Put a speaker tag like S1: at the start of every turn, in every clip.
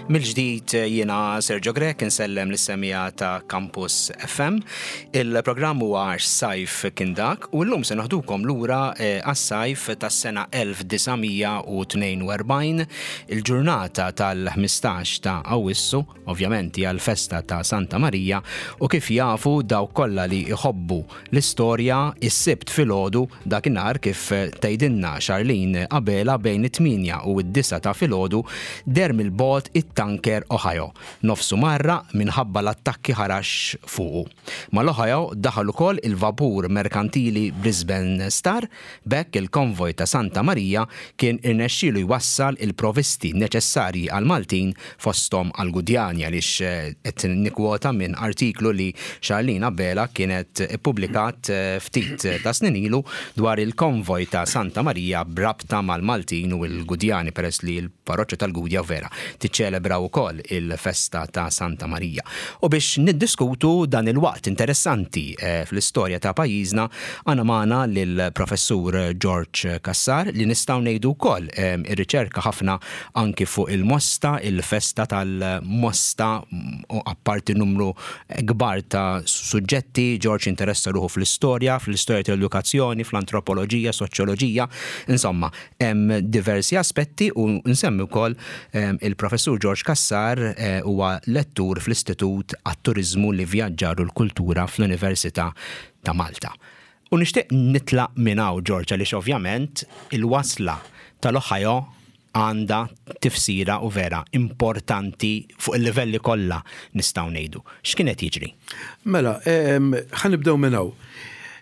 S1: Mill-ġdid jiena Sergio Grech insellem lis-semmiegħa ta' Campus FM. Il-programm huwa Għax Sajf Kien Dak u llum se noħdukom lura eh, għas-sajf tas-sena 1942, il-ġurnata tal-15 ta' Awwissu, ovvjament hija l-festa ta' Santa Marija u kif jafu dawk kollha li jħobbu l-istorja, is-Sibt filgħodu dakinhar kif tgħidilna Charlene Abela bejn it-tmienja u d-disgħa ta' filgħodu deher mill-bogħod it-tanker Ohio, nofsu mgħarraq minħabba l-attakki ħarax fuqu. Mal-Ohio daħal ukoll il-vapur merkantili Brisbane Star, b'hekk il-konvoj ta' Santa Marija kien irnexxielu jwassal il-provisti neċessarji għall-Maltin fosthom għall-Gudjani għaliex qed nikkwota minn artiklu li Charlene Abela kienet ippubblikat ftit ta' snin ilu dwar il-konvoj ta' Santa Marija b'rabta mal-Maltin u l-Gudjani peress li l-parroċċa tal-Gudja vera tiċċelebra wkoll il-festa ta' Santa Marija. U biex niddiskutu dan il-waqt interessanti fl-istorja ta' pajjiżna għandna magħna lill-Professur George Cassar li nistgħu ngħidu wkoll irriċerka ħafna anki fuq il-Mosta, il-festa tal-Mosta u apparti numru kbar ta' suġġetti, George interessa ruħu fl-istorja, fl-istorja tal-edukazzjoni, fl-antropoloġija, soċjoloġija, insomma, hemm diversi aspetti u nsemmi wkoll il-Professur George Cassar huwa lettur fl-Istitut għat-Turiżmu, l-Ivvjaġġar u l-Kultura fl-Università ta' Malta. U nixtieq nitlaq minn hawn, George, għaliex ovvjament il-wasla tal-Ohio għandha tifsira u vera importanti fuq il-livelli kollha nistgħu ngħidu. X'kien qed jiġri?
S2: Mela, ħa nibdew minn hawn.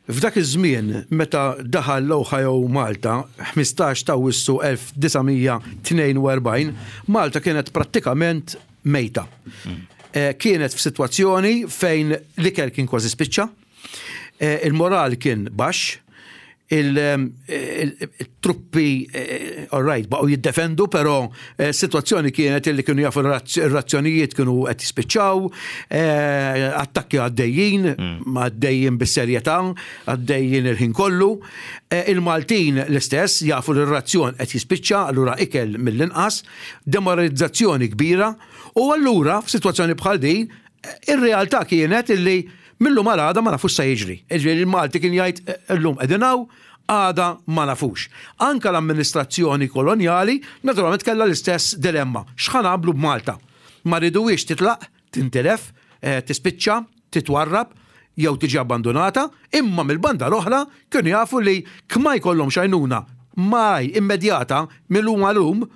S2: F'dak iż-żmien meta daħal l-Ohio Malta, 15 ta' Awwissu 1942, Malta kienet prattikament mejta. Kienet f'sitwazzjoni fejn l-ikel kien kważi spiċċa, Il-moral kien baxx, il-truppi, all right, baqgħu jiddefendu, però s-sitwazzjoni kienet illi kienu jafu r-razzjonijiet kienu qed jispiċċaw, attakki għaddejjin, għaddejjin bis-serjetà, għaddejjin il-ħin kollu. Il-Maltin l-istess jafu li r-razzjon qed jispiċċa, allura ikel mill-inqas, demoralizzazzjoni kbira, u allura f'sitwazzjoni bħal din, ir-realtà kienet illi Mil-lum għal għada ma nafux sa jiġri. Jiġifieri il-Malti kien jgħid illum qegħdin hawn, għada ma nafux. Anke l-amministrazzjoni kolonjali naturalment kellha l-istess dilemma. X'ħa nagħmlu b'Malta? Ma rriduhiex titlaq, tintilef, tispiċċa, titwarrab jew tiġi abbandunata, imma mill-banda l-oħra kienu jafu li kma jkollhomx għajnuna malajr immedjata mil-lum għal lum,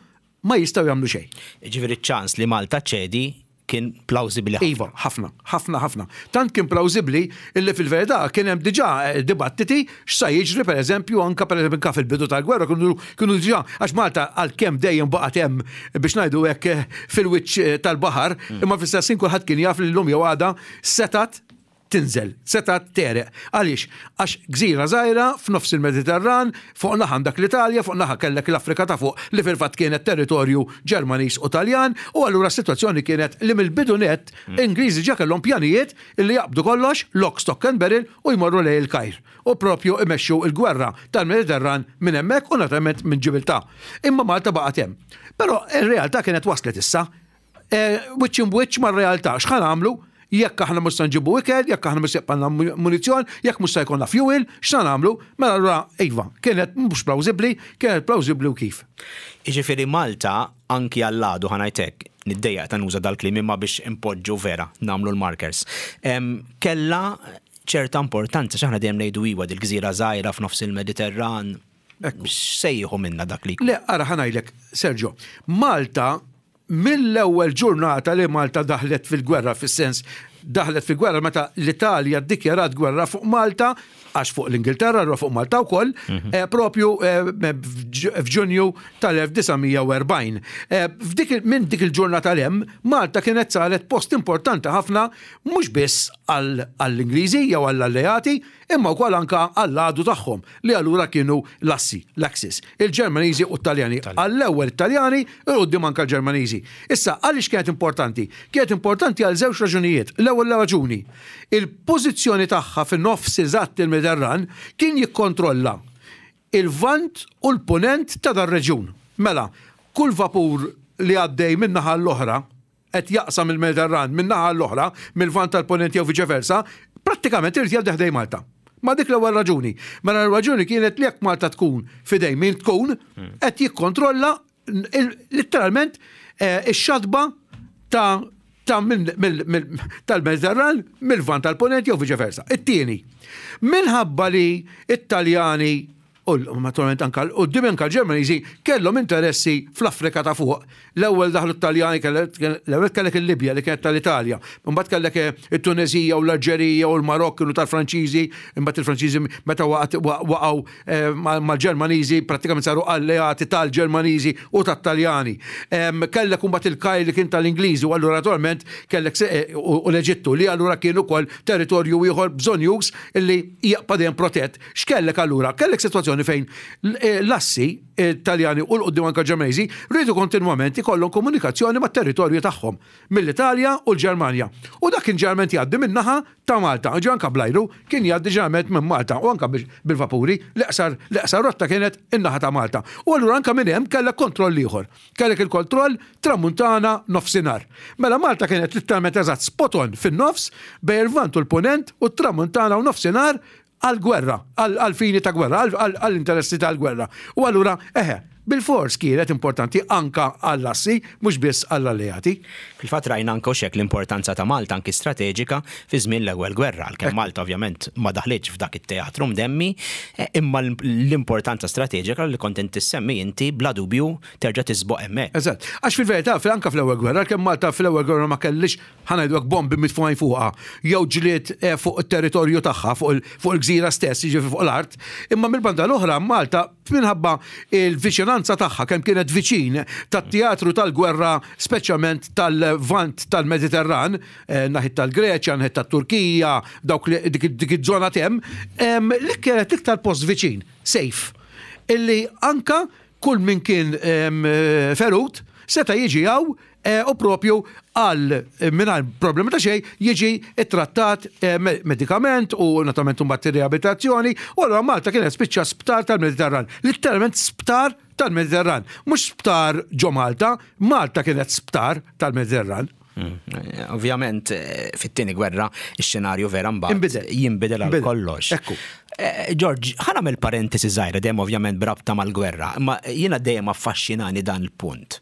S2: ma jistgħu jagħmlu xejn.
S1: Jiġifieri ċ-ċans li Malta ċċedi kien plawżibbli
S2: ħafna. Iva, ħafna, ħafna, ħafna. Tant kien plawżibbli illi fil-verità kien hemm diġà eh, dibattiti x'sa jiġri pereżempju anke pereżempju anke fil-bidu tal-gwerra kienu kienu diġà għax Malta għalkemm dejjem baqgħet hemm biex ngħidu hekk eh, fil-wiċċ eh, tal-baħar, mm. imma fl-istess ħin kulħadd kien jaf li llum jew għada setat tinżel, setgħet tegħreq. Għaliex? Għax gżira żgħira f'nofs il-Mediterran, fuq naħa għandek l-Italja, fuq naħa kellek l-Afrika ta' fuq li fil-fatt kienet territorju Ġermaniż u Taljan, u allura s-sitwazzjoni kienet li mill-bidu nett Ingliżi ġa kellhom pjanijiet li jaqbdu kollox, lock, stock and barrel, u jmorru lejn il-Kajr u propju imexxu l-gwerra tal-Mediterran minn hemmhekk u naturalment minn Ġibiltà. Imma Malta baqgħet hemm. Però r-realtà kienet waslet issa. Wiċċ imb'wiċċ mar-realtà. X'ħa nagħmlu jekk aħna mhux se nġibu ikel, jekk aħna mhux se jibqalna munizzjon, jekk mhux se jkollna fuel, x'sa nagħmlu? Mela allura iva, kienet mhux plawżibbli, kienet plawżibbli u kif.
S1: Jiġifieri Malta anki għall-għadu ħa ngħid hekk, niddejjaq ta' nuża dal-kliem imma biex inpoġġu vera, nagħmlu l-markers. Kellha ċerta importanza x'aħna dejjem ngħidu iwa dil-gżira żgħira f'nofs il-Mediterran. X'se jieħu minna dak li
S2: jkun? Le, ara ħa ngħidlek, Sergio, Malta Mill-ewwel ġurnata li Malta daħlet fil-gwerra, fis-sens daħlet fil-gwerra meta l-Italja ddikjarat gwerra fuq Malta, għax fuq l-Ingilterra, allura fuq Malta wkoll, mhm. eh, propju eh, f'Ġunju tal-1940. Eh, minn dik il-ġurnata l-hemm, Malta kienet saret post importanti ħafna mhux biss għall-Ingliżi jew għall-alleati, imma wkoll anke għall-għadu tagħhom li allura kienu l-assi, l-Axis, il-Ġermaniżi u t-Taljani. Għall-ewwel it-Taljani u 'l quddiem anke l-Ġermaniżi. Issa, għaliex kienet importanti? Kienet importanti għal żewġ raġunijiet. L-ewwel raġuni, il-pożizzjoni tagħha fin-nofs eżatt il-Mediterran kien jikkontrolla il-Lvant u l-Punent ta' dar-reġjun. Mela, kull vapur li għaddej minn naħa għall-oħra, qed jaqsam il-Mediterran minn naħa l-oħra, mill-Lvant tal-Ponent jew viċe versa, prattikament irid jgħaddi ħdej Malta. Ma dik l-ewwel raġuni. Mela l-raġuni kienet li jekk Malta tkun fidej min tkun, qed jikkontrolla litteralment eh, ix-xatba ta' ta' tal-Mediterran mill-Lvant tal-Ponent jew viċe versa. It-tieni, minħabba li it-Taljani u naturalment anka quddiem anka l-Ġermaniżi kellhom interessi fl-Afrika ta' fuq. L-ewwel daħlu t-Taljani l-ewwel kellek il-Libja li kienet tal-Italja, imbagħad kellek eh, it-Tuneżija u l-Alġerija u l-Marokk kienu tal-Franċiżi, imbagħad il-Franċiżi meta waqgħu eh, mal-Ġermaniżi prattikament saru alleati tal-Ġermaniżi u tat-Taljani. Kellek imbagħad il-Kajr li kien tal-Ingliżi u allura naturalment kellek eh, u l-Eġittu li allura kien ukoll territorju ieħor bżonjuż illi jaqpa' dejjem protett. X'kellek allura? Kellek sitwazzjoni fejn eh, l-assi Taljani u l-qudiem anke Ġermaniżi rridu kontinwament ikollhom komunikazzjoni mat-territorju tagħhom mill-Italja u l-Ġermanja. U dak kien ġeneralment jgħaddi min-naħa ta' Malta, ġi anka bl-ajru, kien jgħaddi ġeneralment minn Malta u anka bil-vapuri, l-eqsar l-eqsar rotta kienet in-naħa ta' Malta. U allura anka minn hemm kellek kontroll ieħor. Kellek il-kontroll tramuntana nofsinhar. Mela Malta kienet litteralment eżatt spot on fin-nofs bejn il-Lvant u l-Punent u t-tramuntana u nofsinhar għall-gwerra, għall-fini ta' gwerra, għall-interessi tal-gwerra. U allura, eħe, bilfors kienet importanti anka għall-assi, mhux biss għall-alleati.
S1: Fil-fatt rajna anke hux hekk l-importanza ta' Malta anki strateġika fi żmien l-Ewwel Gwerra, għalkemm Malta ovvjament ma daħlitx f'dak it-teatru mdemmi, imma l-importanza strateġika li kont inti ssemmi inti bla dubju terġa' tisboq hemmhekk.
S2: Eżatt. Għax fil-verità, anke fl-Ewwel Gwerra, għalkemm Malta fl-Ewwel Gwerra ma kellhiex ħa ngħidu hekk bombi mitfugħin fuqha jew ġlied eh, fuq it-territorju tagħha fuq il-gżira stess, jiġifieri fuq l-art, imma mill-banda l-oħra Malta minħabba il-viċinanza tagħha kemm kienet viċin tat-teatru tal-gwerra speċjalment tal-Lvant tal-Mediterran, eh, naħit tal-Greċja, naħit tat-Turkija, dawk dik iż-żona tem, li kienet iktar post viċin, safe, illi anka kull min kien ferut seta' jiġi hawn eh, u propju għal eh, mingħajr problemi ta' xejn jiġi ttrattat eh, medikament u naturalment imbagħad riabilitazzjoni u allura Malta kienet spiċċa sptar tal-Mediterran. Litteralment sptar tal-Mediterran. Mhux sptar ġo Malta, Malta kienet sptar tal-Mediterran.
S1: Mm. Ovvjament, eh, fit-tieni gwerra, ix-xenarju vera mbagħad jinbidel għal kollox.
S2: Ekku.
S1: Eh, George, ħa nagħmel parentesi żgħira dejjem ovvjament brabta mal-gwerra, imma jiena dejjem affaxxinani dan il-punt.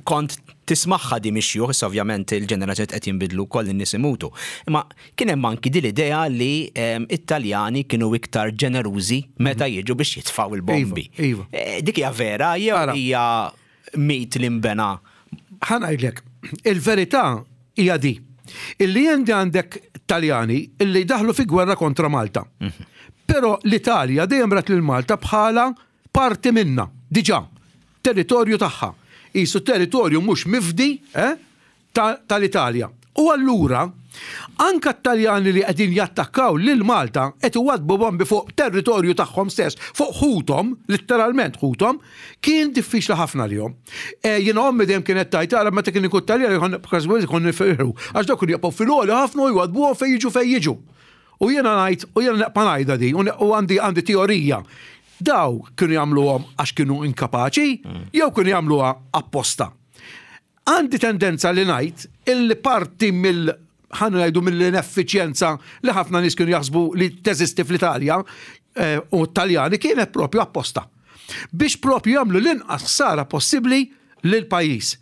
S1: Kont tismaħħa di mixjuħ, issa ovvjament il-ġenerazzjoni qed jinbidlu wkoll in-nies imutu. Imma kien hemm anki din l-idea li it-Taljani kienu iktar ġenerużi meta mhm. jiġu biex jitfgħu il-bombi.
S2: Iva, iva.
S1: Eh, dik hija vera jew hija mit li nbena.
S2: Ħa ngħidlek, il-verità hija di. Illi għandi għandek Taljani illi daħlu fi gwerra kontra Malta. Mhm. Però l-Italja dejjem rat lil Malta bħala parti minna, diġà, territorju tagħha. Isu territorju mhux mifdi, eh, tal-Italja. U allura, anka t-Taljani li qegħdin jattakkaw lil Malta qed iwaddbu bombi fuq territorju tagħhom stess, fuq ħuthom, litteralment ħuthom, kien diffiċli ħafna għalihom. Eh, jiena ommi dejjem kienet tgħid ara meta kien ikun Taljan kważi kont nifirħu, għax dawk kienu jaqgħu fil-għoli ħafna u jwaddbuhom fejn jiġu fejn jiġu. U jiena ngħid, u jiena neqpa' ngħidha di, u għandi għandi teorija. Daw kienu jagħmluhom għax kienu inkapaċi, jew kienu jagħmluha apposta. Għandi tendenza li ngħid illi parti mill ħa ngħidu mill-ineffiċjenza li ħafna nies kienu jaħsbu li teżisti fl-Italja eh, u t-Taljani kienet propju apposta. Biex propju jagħmlu l-inqas ħsara possibbli lil pajjiż.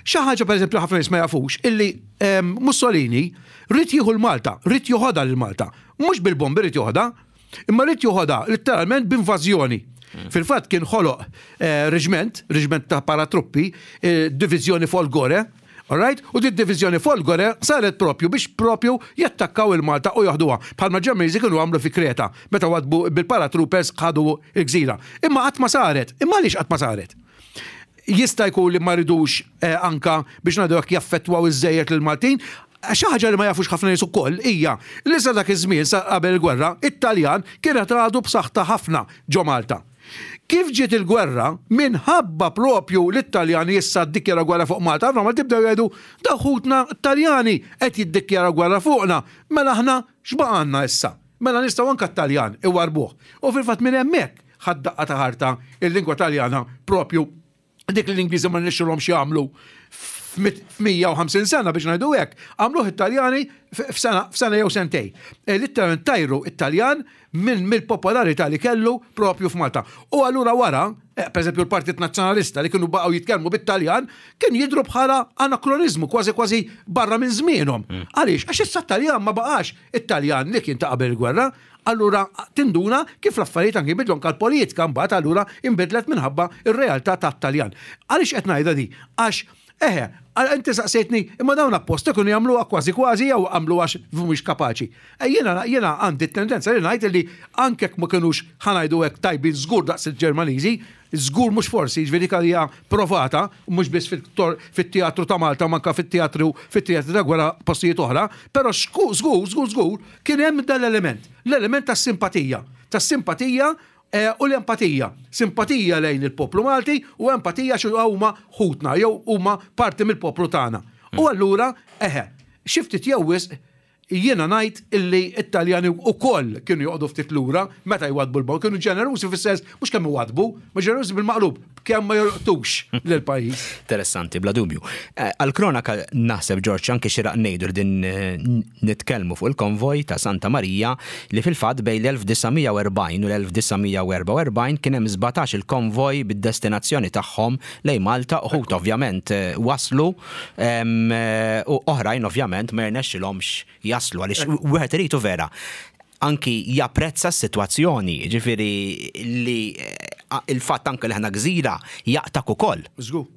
S2: Xi ħaġa pereżempju ħafna nies ma jafux illi ehm, Mussolini rrid jieħu l-Malta, rrid joħodha lil Malta. Mhux bil-bombi rrid joħodha, Imma rrid joħodha litteralment b'invażjoni. Fil-fatt kien ħoloq eh, reġment, reġment ta' paratruppi, eh, diviżjoni Folgore, Alright? U di diviżjoni Folgore saret propju biex propju jattakkaw il-Malta u joħduha. Bħalma Ġermaniżi kienu għamlu fi Kreta, meta wadbu bil-paratroopers ħadu il-gżira. Imma qatt ma saret. Imma għaliex qatt ma saret? Jista' jkun li ma ridux eh, anka biex ngħidu hekk jaffettwaw iż-żejjed lill-Maltin. Xi ħaġa li ma jafux ħafna nies ukoll hija li sa dak iż-żmien sa qabel il-gwerra, it-Taljan kienet għadu b'saħħtha ħafna ġo Malta. Kif ġiet il-gwerra, minħabba propju li t-Taljani issa ddikjaraw gwerra fuq Malta, ħafna Maltin bdew jgħidu dawn ħutna Taljani qed jiddikjaraw gwerra fuqna, mela aħna x'baqgħalna issa? Mela nistgħu anke t-Taljan iwarrbuh. U fil-fatt minn hemmhekk ħadt daqqa ta' ħarta il-lingwa Taljana propju dik li l-Ingliżi ma rnexxilhomx jagħmlu f'150 sena biex ngħidu hekk, għamluh it-Taljani f'sena jew sentej. E, Literalment tajru it-Taljan minn mill-popolarità li kellu propju f'Malta. U allura wara, eh, per eżempju l-Partit Nazzjonalista li kienu baqgħu jitkellmu bit-Taljan, kien jidru bħala anakroniżmu kważi kważi barra minn żmienhom. Għaliex? Għax issa t-Taljan ma baqax it-Taljan li kien ta' qabel il-gwerra, allura tinduna kif l-affarijiet anki jbidlu anke l-politika mbagħad allura inbidlet minħabba r-realtà tat-Taljan. Għaliex qed ngħidha di? Għax eħe, inti saqsejtni, imma dawn apposta kienu jagħmluha kważi kważi jew għamluha għax mhumiex kapaċi. Eh, jiena jiena għandi t-tendenza li ngħid li anke jekk ma kinux ħa ngħidu hekk tajbin żgur daqs il-Ġermaniżi, żgur mhux forsi, jiġifieri dik hija provata, mhux biss fit-teatru ta' Malta ma anke fit-teatru fit-teatri ta' gwerra postijiet oħra, però żgur żgur żgur kien hemm dan l-element, l-element tas-simpatija, tas-simpatija eh, u l-empatija. Simpatija lejn il-poplu Malti u empatija xi huma ħutna jew huma parti mill-poplu tagħna. U allura, eħe, xi ftit jew wisq Jiena ngħid illi t-Taljani wkoll kienu joqogħdu ftit lura meta jwaddbu l-bomb, kienu ġenerużi fis-sens mhux kemm iwaddbu, ma ġenerużi bil-maqlub, kemm ma jolqtux lill-pajjiż.
S1: Interessanti, bla dubju. Eh, għall-kronaka naħseb Ġorġ anke xieraq ngħidu li din eh, nitkellmu fuq il-konvoj ta' Santa Marija li fil-fatt bejn l-1940 u l-1944 kien hemm 17 il-konvoj bid-destinazzjoni tagħhom lejn Malta, uħud ovvjament eh, waslu U oħrajn ovvjament ma jirnexxilhomx jaslu għaliex wieħed irid vera anki japprezza s-sitwazzjoni, ġifieri li eh, il-fatt anke li ħna gżira jaqtak ukoll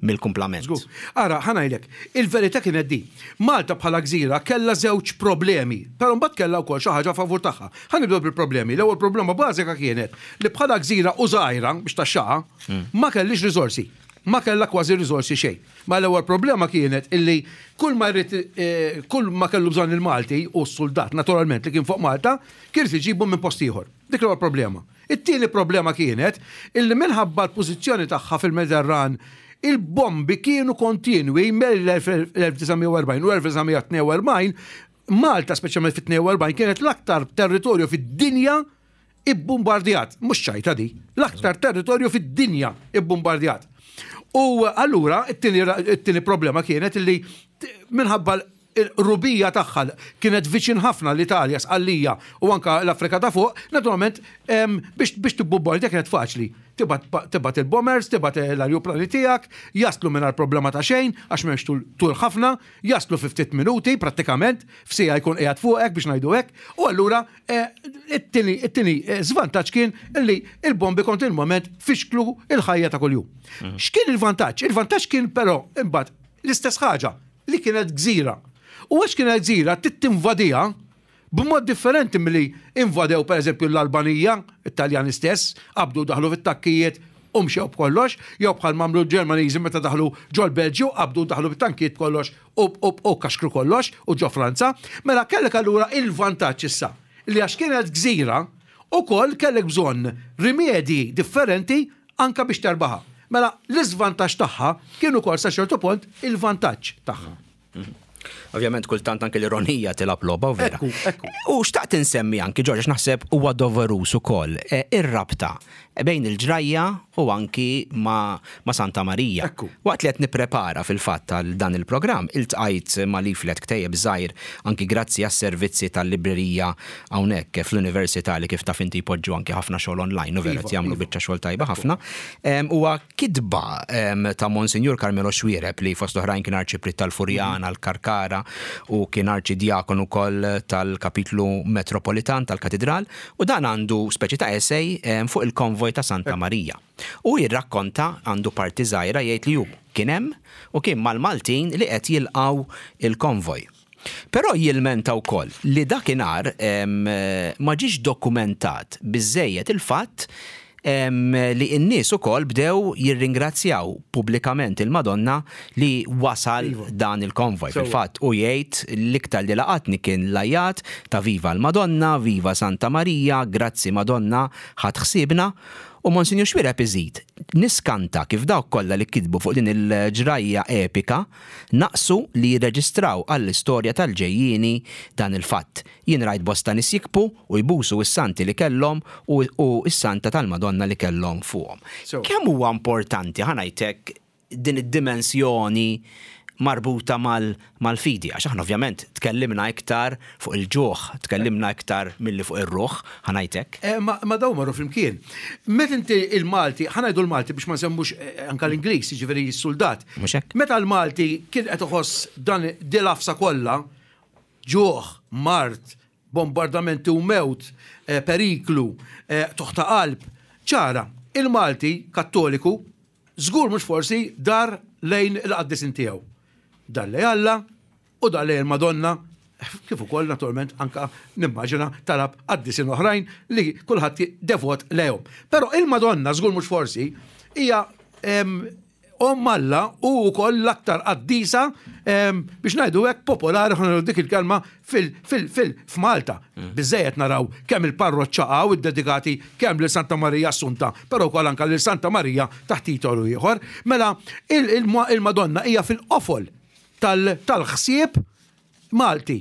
S1: mill-kumplament.
S2: Żgur. Ara, ħa ngħidlek, il-verità kienet di. Malta bħala gżira kellha żewġ problemi, però mbagħad kellha wkoll xi ħaġa favur tagħha. Ħa nibdew bil-problemi. L-ewwel problema bażika kienet li bħala gżira u żgħira biex taxxaha, hmm. ma kellix riżorsi. Ma kellha kważi riżorsi xejn. Ma l-ewwel problema kienet illi kull ma jrid eh, kull ma kellu bżonn il-Malti u s-suldat naturalment li kien fuq Malta, kien irid iġibu minn post ieħor. Dik l-ewwel problema. It-tieni problema kienet illi minħabba l-pożizzjoni tagħha fil-Mediterran il-bombi kienu kontinwi mill-1940 u 1942 Malta speċjalment fit-42 kienet l-aktar territorju fid-dinja ibbumbardjat, mhux ċajta di, l-aktar territorju fid-dinja ibbumbardjat. U allura it-tieni problema kienet li minħabba il-rubija tagħha kienet viċin ħafna l-Italja, Sqallija u anka l-Afrika ta' fuq, naturalment biex biex tibbumbardja kienet faċli. Tibgħat il-bombers, tibgħat l-ajruplani tiegħek, jaslu mingħajr problema ta' xejn għax m'hemmx tul ħafna, jaslu fi ftit minuti prattikament, f'siegħa jkun qiegħed fuqek biex ngħidu hekk, u allura eh, it-tieni eh, żvantaġġ kien li il-bombi kontinwament fixklu il-ħajja ta' kuljum. Mhm. X'kien il-vantaġġ? Il-vantaġġ kien però imbagħad l-istess ħaġa li kienet gżira. U għax kienet gżira tittinvadija b'mod differenti milli invadew pereżempju l-Albanija, it-Taljani stess, qabdu daħlu fit-takkijiet u mxew b'kollox, jew bħal mamlu l-Ġermaniżi meta daħlu ġol-Belġju, qabdu daħlu bit-tankijiet b'kollox u u kaxkru kollox u ġo Franza. Mela kellek allura il-vantaġġ issa li għax kienet gżira ukoll kellek bżonn rimedji differenti anke biex terbaħha. Mela l-iżvantaġġ tagħha kien ukoll sa ċertu punt il-vantaġġ tagħha.
S1: Ovvjament kultant anke l-ironija tilgħab logħba u vera.
S2: Ekku, ekku.
S1: U xtaqt insemmi anki Ġorġ naħseb huwa doveruż ukoll eh, ir-rabta bejn il-ġrajja u anki ma, ma Santa Marija.
S2: Ekku.
S1: Waqt li qed nipprepara fil-fatt għal dan il-programm, iltqajt ma' leaflet ktejjeb żgħir anki grazzi għas-servizzi tal-librerija hawnhekk fl-Università li kif taf inti jpoġġu anki ħafna xogħol online u vera
S2: Iva,
S1: qed jagħmlu
S2: iva.
S1: biċċa xogħol tajba ħafna. Huwa kitba ta' Monsinjur Carmelo Xuereb li fost oħrajn kien arċipriet tal-Furjana, l-Karkara u kien arċidjakon ukoll tal-Kapitlu Metropolitan tal-Katidral u dan għandu speċi ta' essay fuq il-konvoj ta' Santa Marija. U jirrakkonta, għandu parti żgħira jgħid li hu kien hemm u kien mal-Maltin li qed jilqgħu il-konvoj. Però jilmenta wkoll li dakinhar ma ġiex dokumentat biżżejjed il-fatt li n-nies ukoll bdew jirringrazzjaw pubblikament il-Madonna li wasal dan il-konvoj. Fil-fatt hu jgħid l-iktar li laqatni kien l-għajjat ta' Viva l-Madonna, Viva Santa Marija, Grazzi Madonna, ħadt ħsiebna. U Monsinjur Xuereb iżid, Niskanta kif dawk kollha li kitbu fuq din il-ġrajja epika naqsu li jirreġistraw għall-istorja tal-ġejjieni dan il-fatt. Jien rajt bosta nies jikbu u jbusu s-santi li kellhom u u s-santa tal-Madonna li kellhom fuqhom. Kemm huwa importanti, ħa ngħid hekk, din id-dimensjoni marbuta mal-fidi, għax aħna ovvjament tkellimna iktar fuq il-ġuħ, tkellimna iktar milli fuq ir-ruħ, ħa ngħid hekk.
S2: Eh, ma dawn marru flimkien. Meta inti il-Malti, ħa ngħidu l-Malti biex ma nsemmux eh, anka l-Ingliż, jiġifieri s-suldat.
S1: Mhux hekk?
S2: Meta l-Malti kien qed iħoss dan dil-għafsa kollha, ġuħ, mard, bombardamenti u mewt, eh, periklu, qtugħ ta' qalb, ċara, il-Malti Kattoliku Żgur mhux forsi dar lejn il-qaddisin tiegħu. Dar lejn Alla u dar lejn il-Madonna, kif ukoll naturalment anka nimmaġina talab qaddisin oħrajn li kulħadd devot lejhom. Però il-Madonna żgur mhux forsi hija Omm Alla u wkoll l-aktar qaddisa biex ngħidu hekk popolari ħa dik il-kelma f'Malta. Biżżejjed naraw kemm il-parroċċa hawn iddedikati kemm lil Santa Marija Assunta, però wkoll anke lil Santa Marija taħt titolu ieħor. Mela il-Madonna hija fil-qofol tal-ħsieb Malti.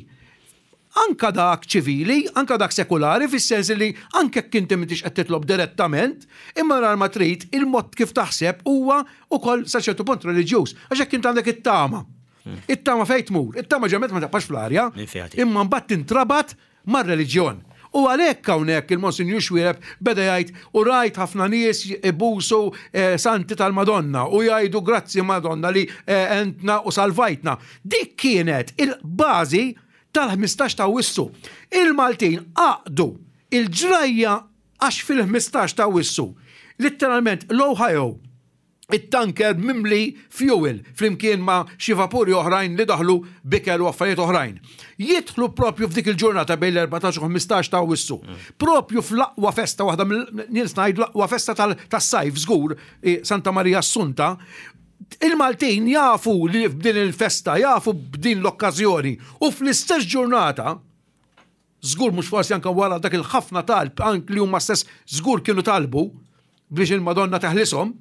S2: Anke dak ċivili, anke dak sekulari, fis-sens li anke jekk inti m'intix qed titlob direttament, imma nhar ma trid, il-mod kif taħseb huwa wkoll sa ċertu punt reliġjuż. Għax jekk int għandek it-tama, it-tama fejn tmur? It-tama ġeneralment ma tibqax fl-arja, imma mbagħad tintrabat mar-reliġjon. U għalhekk hawnhekk il-Monsinjur Xuereb beda jgħid u rajt ħafna nies ibusu santi tal-Madonna u jgħidu grazzi Madonna li għentna u salvajtna. Dik kienet il-bażi tal-15 ta' Awwissu. Il-Maltin għaqdu il-ġrajja għax fil-15 ta' Awwissu litteralment l-Ohio it-tanker mimli fjuwil flimkien ma' xi vapuri oħrajn li daħlu b'ikel u affarijiet oħrajn. Jidħlu propju f'dik il-ġurnata bejn l-14 u 15 ta' Awwissu. Propju fl-aqwa festa waħda mill-nies ngħidu l-aqwa festa tas-sajf żgur, Santa Marija Assunta, il-Maltin jafu li b'din il-festa, jafu b'din l-okkażjoni u fl-istess ġurnata Żgur mhux forsi anke wara dak il-ħafna talb anke li huma stess żgur kienu talbu biex il-Madonna teħlishom,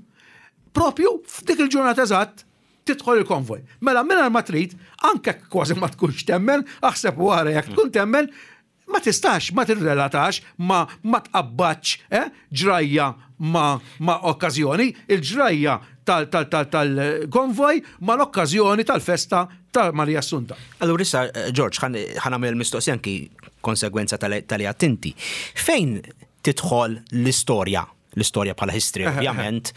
S2: propju f'dik il-ġurnata eżatt tidħol il-konvoj. Mela mingħajr ma trid, anke kważi ma tkunx temmen, aħseb wara jekk tkun temmen, ma tistax ma tirrelatax ma ma tqabbadx eh, ġrajja ma ma okkażjoni, il-ġrajja tal-konvoj ma l-okkażjoni tal-festa ta' Marija Assunta.
S1: Allura issa, George, ħa nagħmel il-mistoqsija anki konsegwenza tal-li għedt inti. Fejn tidħol l-istorja? L-istorja bħala history, ovvjament,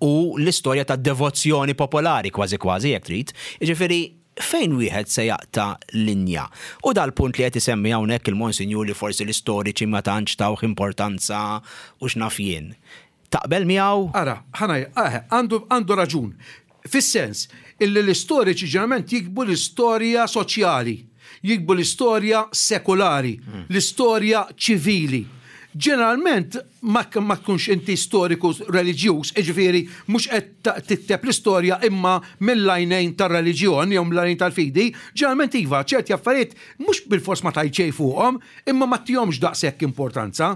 S1: u l-istorja ta' devozzjoni popolari kważi kważi, jekk trid. Jiġifieri, fejn wieħed se jaqta' linja? U dal-punt li qed isemmi hawnhekk il-Monsinjur li forsi l-istoriċi ma tantx tawh importanza u x'naf jien. Taqbel miegħu?
S2: Ara, ħa ngħid, eħe, għandu, għandu raġun. Fis-sens illi l-istoriċi ġeneralment jiktbu l-istorja soċjali, jiktbu l-istorja sekulari, l-istorja ċivili. Ġeneralment ma, ma tkunx inti storiku reliġjuż, jiġifieri mhux qed tikteb l-istorja imma mill-għajnejn tar-reliġjon jew mill-għajnejn tal-fidi, ġeneralment iva, ċerti affarijiet mhux bilfors ma tgħid xejn fuqhom, Imma ma ttihomx daqshekk importanza.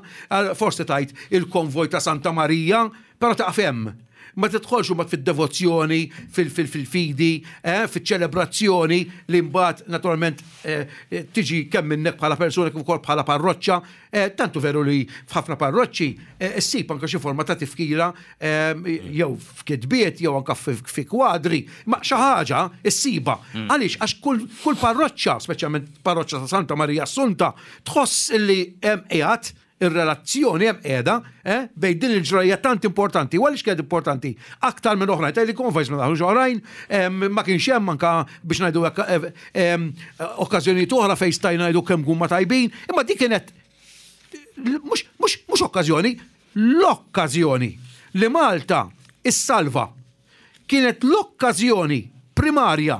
S2: Forsi tgħid il-konvoj ta' Santa Marija, però taqaf hemm. Ma tidħolx imbagħad fid-devozzjoni, fil-fidi, fiċ-ċelebrazzjoni li mbagħad naturalment tiġi kemm minnek bħala persuna kif ukoll bħala parroċċa. Tant hu veru li f'ħafna parroċċi ssib anke xi forma ta' tifkira jew f'kitbiet jew anke fi kwadri, ma xi ħaġa issibha. Għaliex? Għax kull parroċċa, speċjalment parroċċa ta' Santa Marija Assunta, tħoss li hemm qiegħed ir-relazzjoni hemm qiegħda eh, bejn din il-ġrajja tant importanti. U għaliex kienet importanti? Aktar minn oħrajn, tgħidli konvojs ma daħlux oħrajn, ma kienx hemm anka biex ngħidu hekk okkażjonijiet oħra fejn stajna ngħidu kemm huma tajbin, imma dik kienet mhux okkażjoni, L-okkażjoni li Malta ssalva kienet l-okkażjoni primarja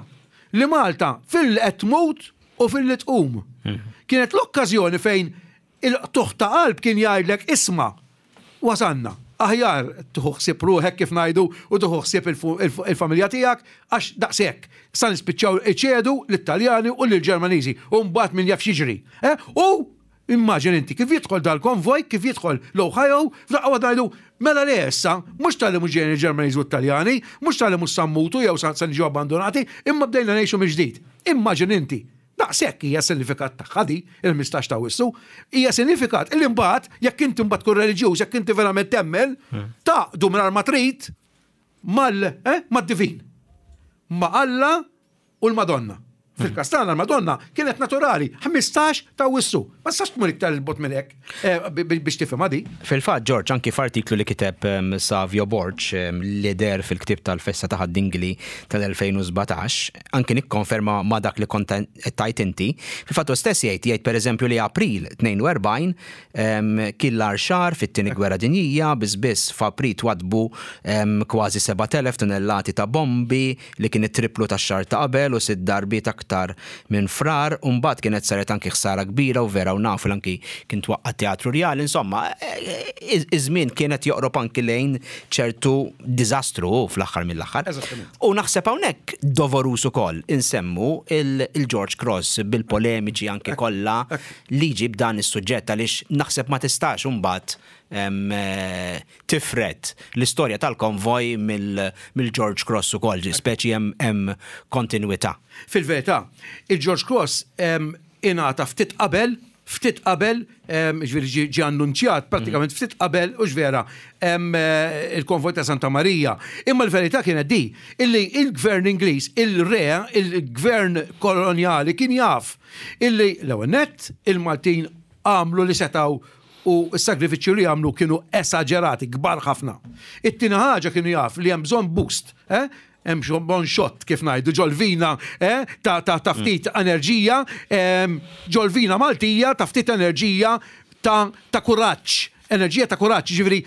S2: li Malta filli qed tmut u filli tqum. Kienet l-okkażjoni fejn il-qtugħ ta' qalb kien jgħidlek isma' wasalna, aħjar tieħu ħsieb ruħek kif ngħidu u tieħu ħsieb il-familja tiegħek għax daqshekk sa nispiċċaw iċedu lit-Taljani u lill-Ġermaniżi u mbagħad min jaf x'jiġri. U Immaġina inti kif jidħol dal-konvoj, kif jidħol l-Ohio, f'daqqa waħda ngħidu, mela le issa, mhux talli mhux ġejjin il-Ġermaniżi u t-Taljani, mhux talli mhux sa mmutu jew sa niġu abbandunati, imma bdejna ngħixu mill-ġdid. Immaġina inti. Daqshekk hija s-sinifikat tagħha di, il-15 ta' Awwissu. Hija sinifikat illi mbagħad, jekk inti mbagħad tkun reliġjuż, jekk inti verament temmen, tgħaqqdu mingħajr ma trid mal, eh, mad-divin. ma' Alla u l-Madonna. Fil-każ tagħna l-Madonna kienet naturali, 15 ta' Awwissu. Ma tistax tmur iktar 'il bogħod minn hekk eh, biex tifhimha di.
S1: Fil-fatt, Ġorġ, anki f'artiklu li kiteb ehm, Savio Borg ehm, li deher fil-ktieb tal-Festa ta' Ħad-Dingli tal-2017, anki nikkonferma ma' dak li kont qed tgħid inti. Fil-fatt hu stess jgħid, jgħid pereżempju li April 42 Kien l-agħar xahar fit-Tieni Gwerra Dinjija, biss biss f'April twaddbu kważi 7,000 tunellati ta' bombi, li kien it-tripplu tax-xahar ta' qabel u sitt darbiet aktar minn Frar, u mbagħad kienet saret anki ħsara kbira u vera u nafu li anki kien twaqqa' t-Teatru Rjali, insomma, iż-żmien kien qed joqrob anki lejn ċertu diżastru hu fl-aħħar mill-aħħar. U naħseb hawnhekk doveruż ukoll insemmu il-George Cross bil-polemiċi anki kollha li jġib dan is-suġġett għaliex naħseb ma tistax imbagħad tifred l-istorja tal-konvoj mill-George Cross ukoll, speċi hemm kontinwità.
S2: Fil-verità, il-George Cross ingħata ftit qabel, ftit qabel, ġifieri ġie annunċjat prattikament ftit qabel, hux vera, il-konvoj ta' Santa Marija. Imma l-verità kienet di, illi il-gvern Ingliż, il-re, il-gvern kolonjali kien jaf Illi l-ewwel nett il-Maltin għamlu li setgħu u s-sagrifiċċju li għamlu kienu esaġerati, kbar ħafna. It-tieni ħaġa kienu jaf li hemm bżonn boost, eh? hemm bżonn xott kif ngħidu ġolvina eh? ta' ta' ta' ftit enerġija, ehm, ġolvina Maltija ta' ftit enerġija ta' ta' kuraġġ Enerġija ta' kuraġġ, jiġifieri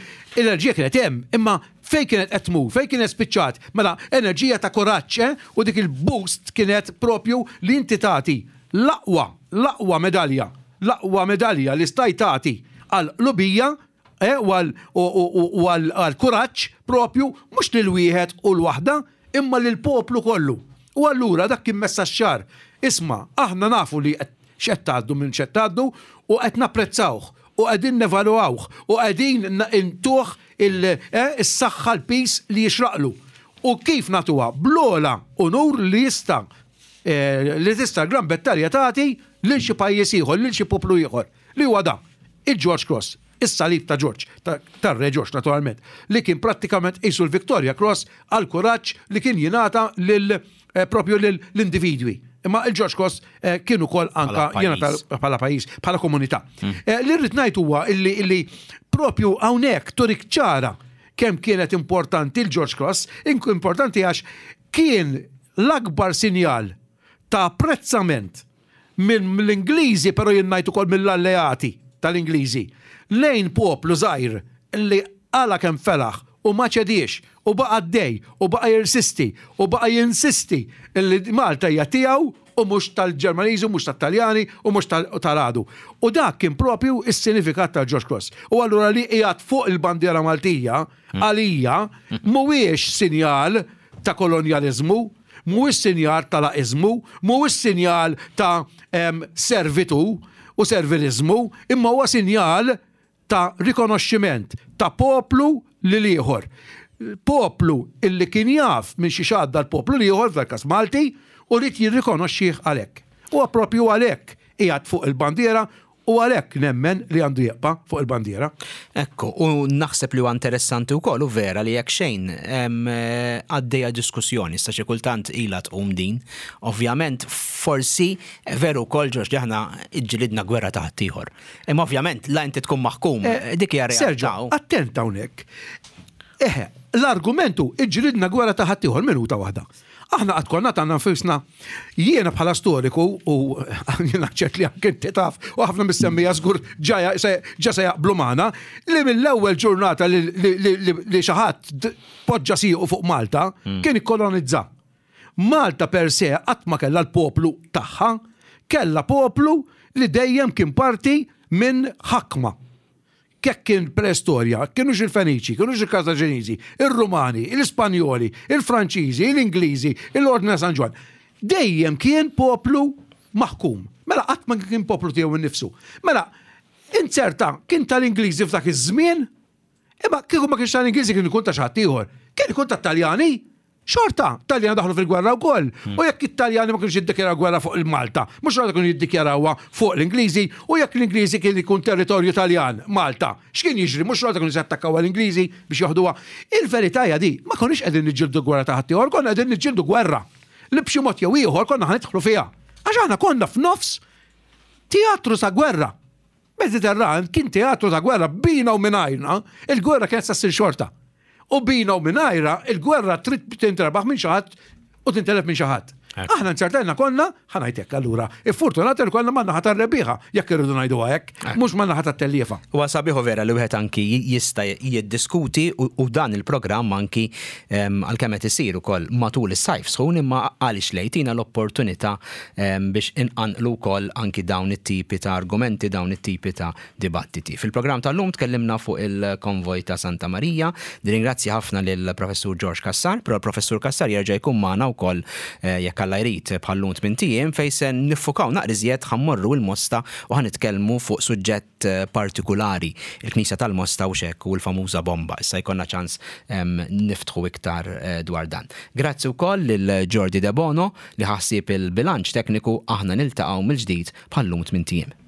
S2: l-enerġija kienet hemm, imma fejn kienet qed tmur, fejn kienet spiċċat? Mela enerġija ta' kuraġġ, eh? U dik il-boost kienet propju li inti tagħti l-aqwa, l-aqwa medalja, l-aqwa medalja li stajt tagħti għall-qlubija, eh, u għal u għall-kuraġġ propju mhux lil wieħed u l-waħda, imma lill-poplu kollu. U allura dak kien messaġġ ċar. Isma', aħna nafu li qed x'qed tgħaddu minn x'qed tgħaddu u qed napprezzawh u qegħdin nevalwawh u qegħdin intuh is-saħħa l-piż li jixraqlu. U kif nagħtuha? Bl-ogħla unur li jista' li tista' l-Gran Bretanja tagħti lil xi pajjiż ieħor, lil xi poplu ieħor, li huwa dan, il-George Cross, is-salib ta' Ġorġ, tar-Re Ġorġ naturalment, li kien prattikament qisu l-Victoria Cross għall-kuraġġ li kien jingħata lil propju lill-individwi. Imma il-George Cross kien ukoll anka jingħata bħala pajjiż, bħala komunità. Li rrid ngħid huwa illi propju hawnhekk turik ċara kemm kienet importanti l-George Cross, importanti għax kien l-akbar sinjal ta' apprezzament mill-Ingliżi, però jien ngħid ukoll mill-alleati tal-Ingliżi, lejn poplu żgħir li qala' kemm felaħ u ma ċediex u baqa' għaddej u baqa' jirsisti u baqa' jinsisti li Malta hija tiegħu u mhux tal-Ġermaniżi u mhux tat-Taljani u mhux tal-għadu. U dak kien propju s-sinifikat tal-George Cross. U allura li qiegħed fuq il-bandiera Maltija għalija mhuwiex sinjal ta' kolonjaliżmu, mhuwiex sinjal ta' laqiżmu, mhuwiex sinjal ta' servitù u serviliżmu, imma huwa sinjal ta' rikonoxximent ta' poplu lil ieħor. Poplu illi kien jaf minn xiex għadda l-poplu l-ieħor, f'dal-każ Malti, u ried jirrikonoxxih għalhekk. Huwa proprju għalhekk qiegħed fuq il-bandiera U għalhekk nemmen li għandu jibqa' fuq il-bandiera.
S1: Ekku, u naħseb li huwa interessanti wkoll u vera li jekk xejn għaddejja diskussjoni, issa xi kultant ilha tqum din. Ovvjament forsi veru wkoll Ġorġ li aħna ġġilidna gwerra ta' ħaddieħor. Imma ovvjament la inti tkun maħkum, dik hija realtà.
S2: Sergio, attent hawnhekk. Eħe, l-argument hu ġġilidna gwerra ta' ħaddieħor minuta waħda. Aħna qatt konna tagħna nfusna, jiena bħala storiku u jiena ċert li anke inti taf u ħafna mis-semmija żgur ġa se jaqblu magħna li mill-ewwel ġurnata li xi ħadd poġġa siequ fuq Malta kien ikkolonizza. Malta per se qatt ma kellha l-poplu tagħha, kellha poplu li dejjem kien parti minn ħakma. Kekk kien preistorja, kienux il-Feniċi, kienux il-Kartaġeniżi, ir-Rumani, l-Ispanjoli, il-Franċiżi, l-Ingliżi, l-Ordni ta' San Ġwann. Dejjem kien poplu maħkum. Mela qatt ma kien poplu tiegħu nnifsu. Mela, inzerta kien tal-Ingliżi f'dak iż-żmien, imma kieku ma kienx tal-Ingliżi kien ikun ta' xi ħadd ieħor. Kien ikun tat-Taljani. Xorta, Taljani daħlu fil-gwerra wkoll. Hmm. U jekk it-Taljani ma kienux jiddikjaraw gwerra fuq il-Malta, mhux xorta kienu jiddikjarawha fuq l-Ingliżi, u jekk l-Ingliżi kien ikun territorju Taljan, Malta, x'kien jiġri, mhux xorta kienu se jattakkaw l-Ingliżi biex joħduha. Il-verità hija di, ma konniex qegħdin niġġieldu gwerra ta' ħaddieħor, konna qegħdin niġġieldu gwerra li b'xi mod jew ieħor konna ħa nidħlu fiha. Għax aħna konna f'nofs teatru sa gwerra. Mediterran kien teatru ta' gwerra bina u mingħajrna, il-gwerra kienet sa ssir xorta. U bina u mingħajra, il-gwerra trid tintrebaħ minn xi ħadd u tintelef minn xi ħadd. Aħna nċertajna konna, ħanajtek allura, iffortunati li konna man-naħa tar-rebbieħa, jekk irridu ngħiduha hekk, mhux man-naħa tat-telliefa.
S1: Huwa sabiħ u vera li wieħed anki jista' jiddiskuti u dan il-programm anki għalkemm qed isir ukoll matul is-sajf sħun imma għaliex le jtina l-opportunità biex inqanqlu wkoll anki dawn it-tipi ta' argumenti, dawn it-tipi ta' dibattiti. Fil-programm tal-lum tkellimna fuq il-konvoj ta' Santa Marija. Nirringrazzja ħafna lill-Professur George Cassar, però l-Professur Cassar jerġa' jkun magħna wkoll eh, jekk Alla jrid bħal-lum tmint ijiem fejn se niffukaw naqra iżjed ħa mmorru l-Mosta u ħa nitkellmu fuq suġġett eh, partikulari, il-Knisja tal-Mosta u xek u l-famuża bomba. Issa jkollna ċans niftħu iktar eh, dwar dan. Grazzi wkoll lil Jordi Debono li ħa ħsieb il-bilanċ tekniku aħna niltaqgħu mill-ġdid bħal-lum tmint ijiem.